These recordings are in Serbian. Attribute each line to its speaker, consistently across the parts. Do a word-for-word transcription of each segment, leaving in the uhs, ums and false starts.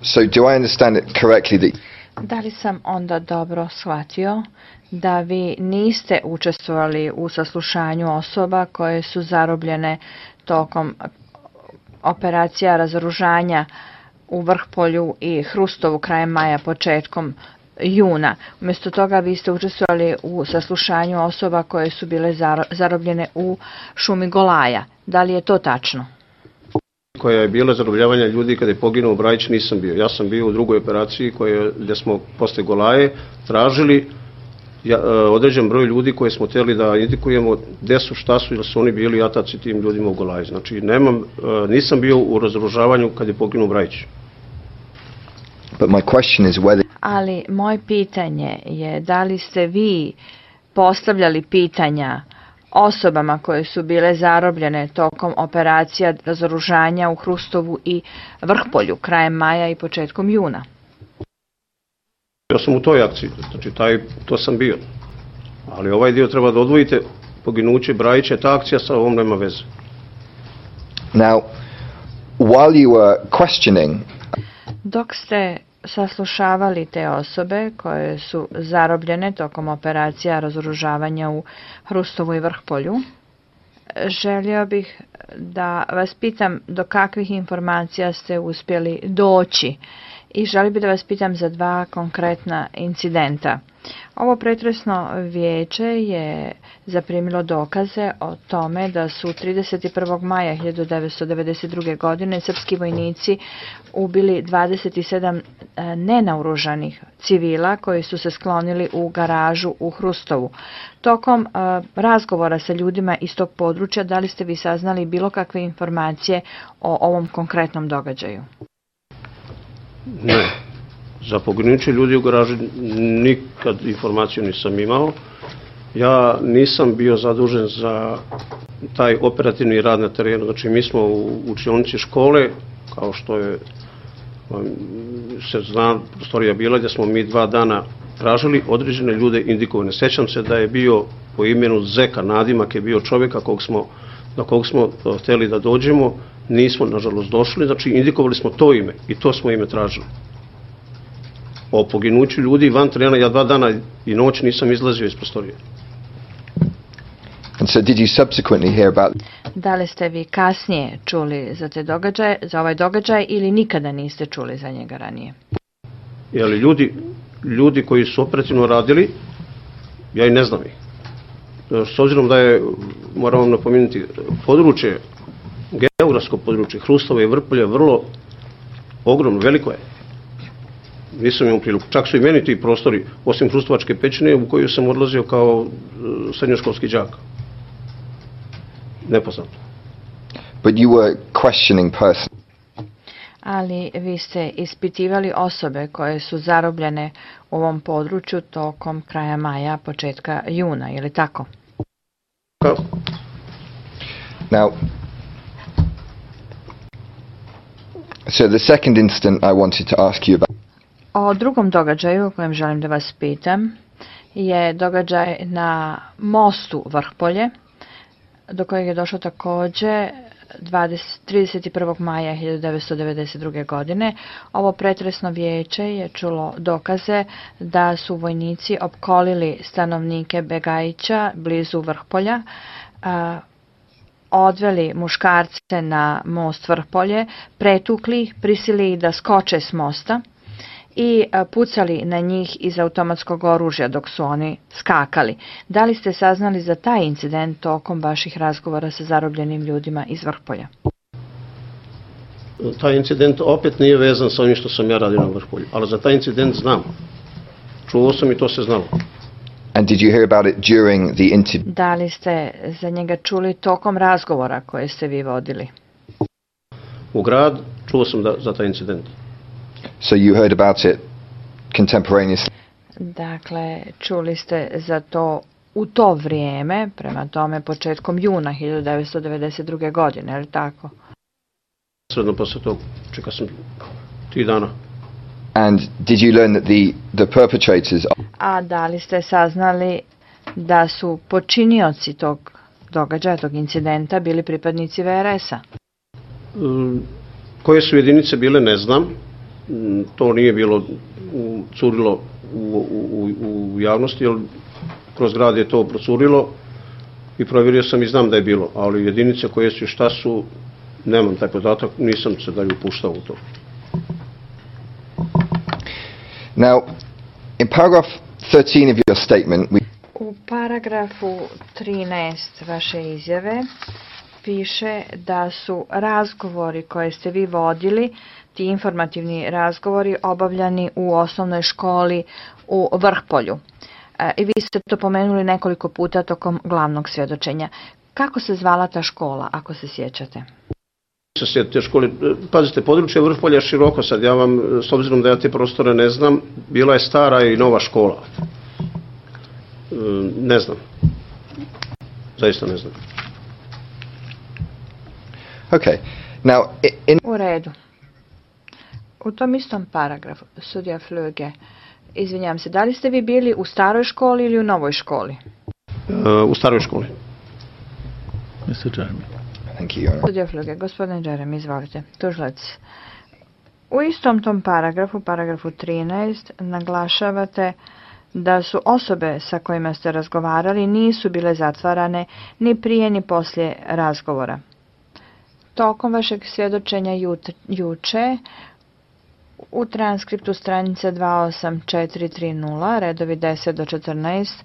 Speaker 1: So do I understand it correctly that...
Speaker 2: Da li sam onda dobro shvatio da vi niste učestvovali u saslušanju osoba koje su zarobljene tokom operacija razoružanja u Vrhpolju i Hrustovu krajem maja, početkom juna? Umjesto toga vi ste učestvovali u saslušanju osoba koje su bile zarobljene u šumi Golaja. Da li je to tačno?
Speaker 3: Koja je bila zarobljavanja ljudi kada je poginuo Brajić, nisam bio. Ja sam bio u drugoj operaciji koje, gdje smo posle Golaje tražili ja, određen broj ljudi koje smo htjeli da indikujemo gdje su, šta su, ili su oni bili ataci tim ljudima u Golaji. Znači, nemam, nisam bio u razoružavanju kada je poginuo Brajić.
Speaker 1: But my question is whether...
Speaker 2: Ali moje pitanje je da li ste vi postavljali pitanja osobama koje su bile zarobljene tokom operacija razoružanja u Hrustovu i Vrhpolju krajem maja i početkom juna?
Speaker 3: Ja sam u toj akciji, znači taj, to sam bio. Ali ovaj dio treba da odvojite, poginuće Brajića, ta akcija sa ovom nema veze.
Speaker 1: Now, while you were questioning...
Speaker 2: Dok ste saslušavali te osobe koje su zarobljene tokom operacija razoružavanja u Hrustovu i Vrhpolju, želio bih da vas pitam do kakvih informacija ste uspjeli doći i želio bih da vas pitam za dva konkretna incidenta. Ovo pretresno vijeće je zaprimilo dokaze o tome da su trideset prvog maja hiljadu devetsto devedeset druge. godine srpski vojnici ubili dvadeset sedam nenaoružanih civila koji su se sklonili u garažu u Hrustovu. Tokom uh, razgovora sa ljudima iz tog područja, da li ste vi saznali bilo kakve informacije o ovom konkretnom događaju?
Speaker 3: Ne. Za poginuće ljudi u garaži nikad informaciju nisam imao. Ja nisam bio zadužen za taj operativni rad na terenu. Znači, mi smo u učionici škole, kao što je se zna, prostorija bila, gdje smo mi dva dana tražili određene ljude indikovane. Sjećam se da je bio po imenu Zeka, nadimak je bio čovjeka kog smo, na kog smo htjeli da dođemo. Nismo, nažalost, došli. Znači, indikovali smo to ime i to smo ime tražili. O poginuću ljudi van terena ja dva dana i noć nisam izlazio iz prostorije.
Speaker 1: And so did you subsequently hear about...
Speaker 2: Da li ste vi kasnije čuli za te događaje, za ovaj događaj ili nikada niste čuli za njega ranije?
Speaker 3: Jeli ljudi, ljudi koji su operativno radili, ja i ne znam ih. S obzirom da je, moram vam napomenuti, područje, geografsko područje Hrustova i Vrpolja vrlo ogromno, veliko je. Nisam imao priliku. Čak su i meni ti prostori, osim Hrustovačke pećine, u koju sam odlazio kao srednjoškolski đak. Nepoznato.
Speaker 1: But you were questioning person.
Speaker 2: Ali vi ste ispitivali osobe koje su zarobljene u ovom području tokom kraja maja, početka juna, je li tako?
Speaker 3: Kako?
Speaker 1: Now, so the second incident I wanted to ask you about.
Speaker 2: O drugom događaju o kojem želim da vas pitam je događaj na mostu Vrhpolje, do kojeg je došlo također trideset prvog maja hiljadu devetsto devedeset druge. godine. Ovo pretresno vijeće je čulo dokaze da su vojnici opkolili stanovnike Begajića blizu Vrhpolja, a, odveli muškarce na most Vrhpolje, pretukli ih, prisilili da skoče s mosta i pucali na njih iz automatskog oružja dok su oni skakali. Da li ste saznali za taj incident tokom vaših razgovora sa zarobljenim ljudima iz Vrhpolja?
Speaker 3: Taj incident opet nije vezan sa onim što sam ja radio na Vrhpolju, ali za taj incident znam. Čuo sam i to se znalo.
Speaker 1: And did you hear about it during the interview?
Speaker 2: Da li ste za njega čuli tokom razgovora koje ste vi vodili?
Speaker 3: U grad čuo sam da, za taj incident.
Speaker 1: So you heard about it contemporaneously?
Speaker 2: Dakle, čuli ste za to u to vrijeme, prema tome početkom juna hiljadu devetsto devedeset druge. godine, je li tako?
Speaker 3: Sredno posle tog, čeka sam tri dana.
Speaker 1: And did you learn that the, the perpetrators...
Speaker 2: A da li ste saznali da su počinioci tog događaja, tog incidenta, bili pripadnici V R S-a?
Speaker 3: Um, koje su jedinice bile, ne znam. to nije bilo curilo u, u, u javnosti, jer kroz grad je to procurilo i provjerio sam i znam da je bilo, ali jedinice koje su i šta su, nemam taj podatak, nisam se dalje upuštao u to.
Speaker 1: Now, in paragraph thirteen of your statement, we
Speaker 2: U paragrafu trinaest vaše izjave piše da su razgovori koje ste vi vodili, ti informativni razgovori, obavljani u osnovnoj školi u Vrhpolju. I vi ste to pomenuli nekoliko puta tokom glavnog svjedočenja. Kako se zvala ta škola, ako se sjećate?
Speaker 3: Se sjetite škole, pazite, područje Vrhpolja je široko sad, ja vam, s obzirom da ja te prostore ne znam, bila je stara i nova škola. Ne znam. Zaista ne znam.
Speaker 1: Okay. Now, in
Speaker 2: U redu. U tom istom paragrafu, sudija Flöge, izvinjam se, da li ste vi bili u staroj školi ili u novoj školi?
Speaker 3: U staroj školi.
Speaker 4: mister Jeremy.
Speaker 1: Thank you, Your Honor.
Speaker 2: Sudija Flöge, gospodin Jeremy, izvolite. Tužilac. U istom tom paragrafu, paragrafu trinaest, naglašavate da su osobe sa kojima ste razgovarali nisu bile zatvarane ni prije ni poslije razgovora. Tokom vašeg svjedočenja jut, juče u transkriptu stranice dva osam četiri tri nula, redovi deset do četrnaest,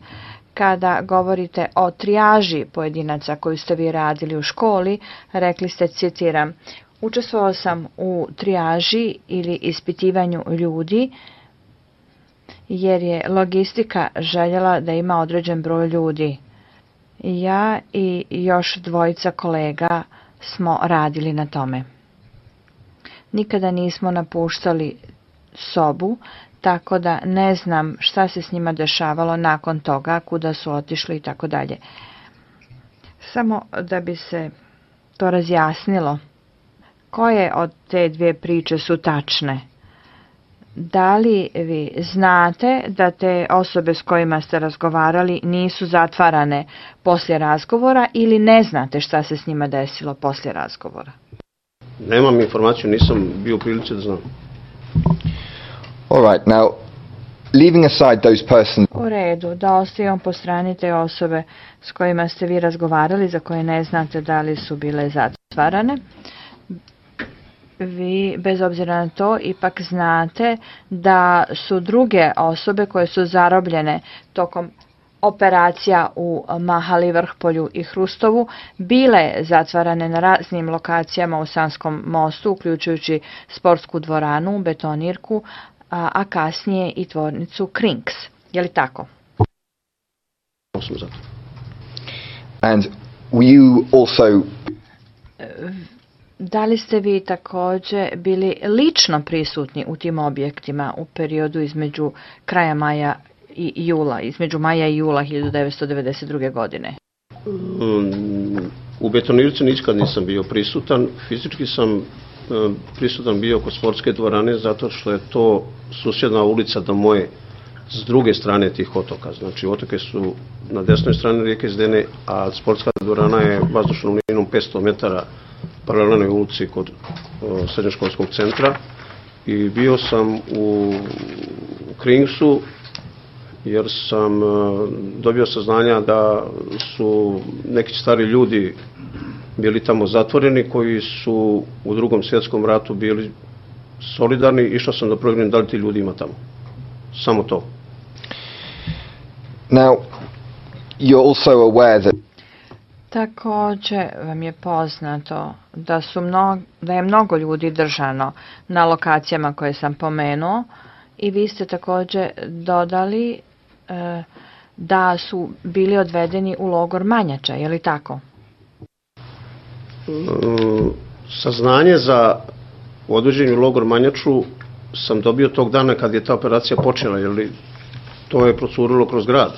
Speaker 2: kada govorite o trijaži pojedinaca koju ste vi radili u školi, rekli ste, citiram, učestvovao sam u trijaži ili ispitivanju ljudi jer je logistika željela da ima određen broj ljudi. Ja i još dvojica kolega smo radili na tome. Nikada nismo napuštali sobu, tako da ne znam šta se s njima dešavalo nakon toga, kuda su otišli i tako dalje. Samo da bi se to razjasnilo, koje od te dvije priče su tačne? Da li vi znate da te osobe s kojima ste razgovarali nisu zatvarane poslije razgovora ili ne znate šta se s njima desilo poslije razgovora?
Speaker 3: Nemam informaciju, nisam bio u prilici da znam.
Speaker 1: All right. Now, leaving aside those persons.
Speaker 2: U redu, da ostavimo po strani te osobe s kojima ste vi razgovarali, za koje ne znate da li su bile zatvarane. Vi, bez obzira na to, ipak znate da su druge osobe koje su zarobljene tokom operacija u Mahali, Vrhpolju i Hrustovu bile zatvarane na raznim lokacijama u Sanskom mostu, uključujući sportsku dvoranu, betonirku, a, a kasnije i tvornicu Krinks. Je li tako?
Speaker 1: And were you also
Speaker 2: Da li ste vi također bili lično prisutni u tim objektima u periodu između kraja maja i jula, između maja i jula hiljadu devetsto devedeset druge. godine?
Speaker 3: U betonirci nikad nisam bio prisutan. Fizički sam prisutan bio kod sportske dvorane zato što je to susjedna ulica do moje, s druge strane tih otoka. Znači otoke su na desnoj strani rijeke Zdene, a sportska dvorana je vazdušnom linijom petsto metara paralelnoj ulici kod o, srednjoškolskog centra i bio sam u Kringsu jer sam o, dobio saznanja da su neki stari ljudi bili tamo zatvoreni koji su u Drugom svjetskom ratu bili solidarni. Išao sam da provjerim da li ti ljudi ima tamo. Samo to.
Speaker 1: Now, you're also aware that
Speaker 2: Također vam je poznato da, su mno, da je mnogo ljudi držano na lokacijama koje sam pomenuo i vi ste također dodali e, da su bili odvedeni u logor Manjača, je li tako?
Speaker 3: Saznanje za odvođenje u logor Manjaču sam dobio tog dana kad je ta operacija počela, jer to je procurilo kroz grad.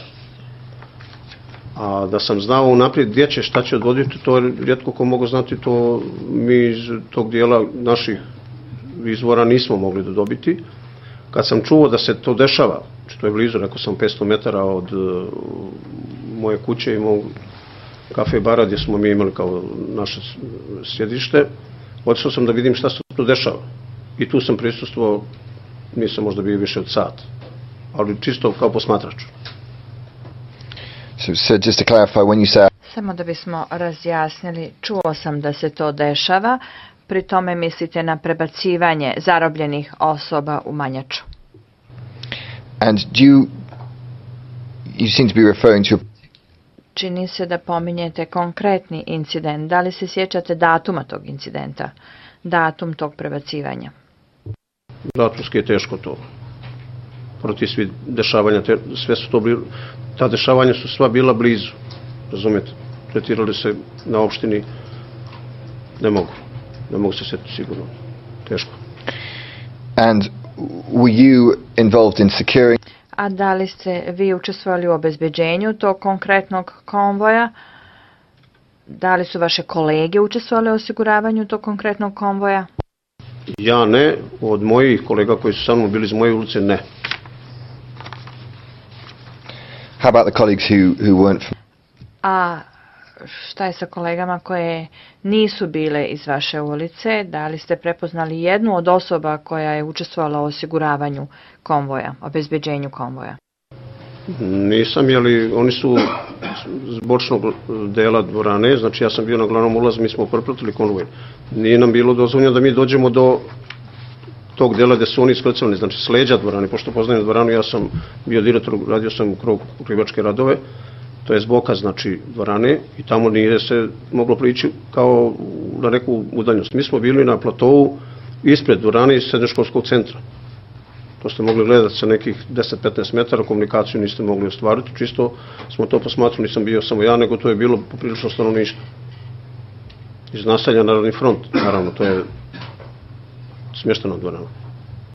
Speaker 3: A da sam znao unaprijed gdje će, šta će odvoditi, to je rijetko ko mogu znati, to mi iz tog dijela naših izvora nismo mogli da dobiti. Kad sam čuo da se to dešava, što je blizu, rekao sam petsto metara od uh, moje kuće i mog kafe bara gdje smo mi imali kao naše sjedište, otišao sam da vidim šta se tu dešava. i tu sam prisustvovao, nisam možda bio više od sat, ali čisto kao posmatrač.
Speaker 1: So, so just to clarify, when you say...
Speaker 2: Samo da bismo razjasnili, čuo sam da se to dešava, pri tome mislite na prebacivanje zarobljenih osoba u Manjaču.
Speaker 1: And do you, you seem to be referring to...
Speaker 2: Čini se da pominjete konkretni incident. Da li se sjećate datuma tog incidenta? Datum tog prebacivanja?
Speaker 3: Datumski je teško to. Protiv svih dešavanja, te, sve su to bili, ta dešavanja su sva bila blizu. Razumijete? Tretirali se na opštini, ne mogu. Ne mogu se sjetiti sigurno. Teško.
Speaker 1: And were you involved in securing...
Speaker 2: A da li ste vi učestvovali u obezbeđenju tog konkretnog konvoja? Da li su vaše kolege učestvovali u osiguravanju tog konkretnog konvoja?
Speaker 3: Ja ne, od mojih kolega koji su sa mnom bili iz moje ulice, ne.
Speaker 1: How about the colleagues who, who weren't from...
Speaker 2: A šta je sa kolegama koje nisu bile iz vaše ulice? Da li ste prepoznali jednu od osoba koja je učestvovala u osiguravanju konvoja, obezbeđenju konvoja?
Speaker 3: Nisam, jeli oni su s bočnog dela dvorane, znači ja sam bio na glavnom ulazu, mi smo propratili konvoj. Nije nam bilo dozvoljeno da mi dođemo do tog dela gde su oni iskrcavani, znači s leđa dvorane, pošto poznajem dvoranu, ja sam bio direktor, radio sam u krogu krivačke radove, to je s boka, znači, dvorane, i tamo nije se moglo prići kao na neku udaljenost. Mi smo bili na platovu ispred dvorane iz srednjoškolskog centra. To ste mogli gledati sa nekih deset do petnaest metara, komunikaciju niste mogli ostvariti, čisto smo to posmatrali, nisam bio samo ja, nego to je bilo poprilično stanovništvo. Iz naselja Narodni front, naravno, to je smješteno dvorana.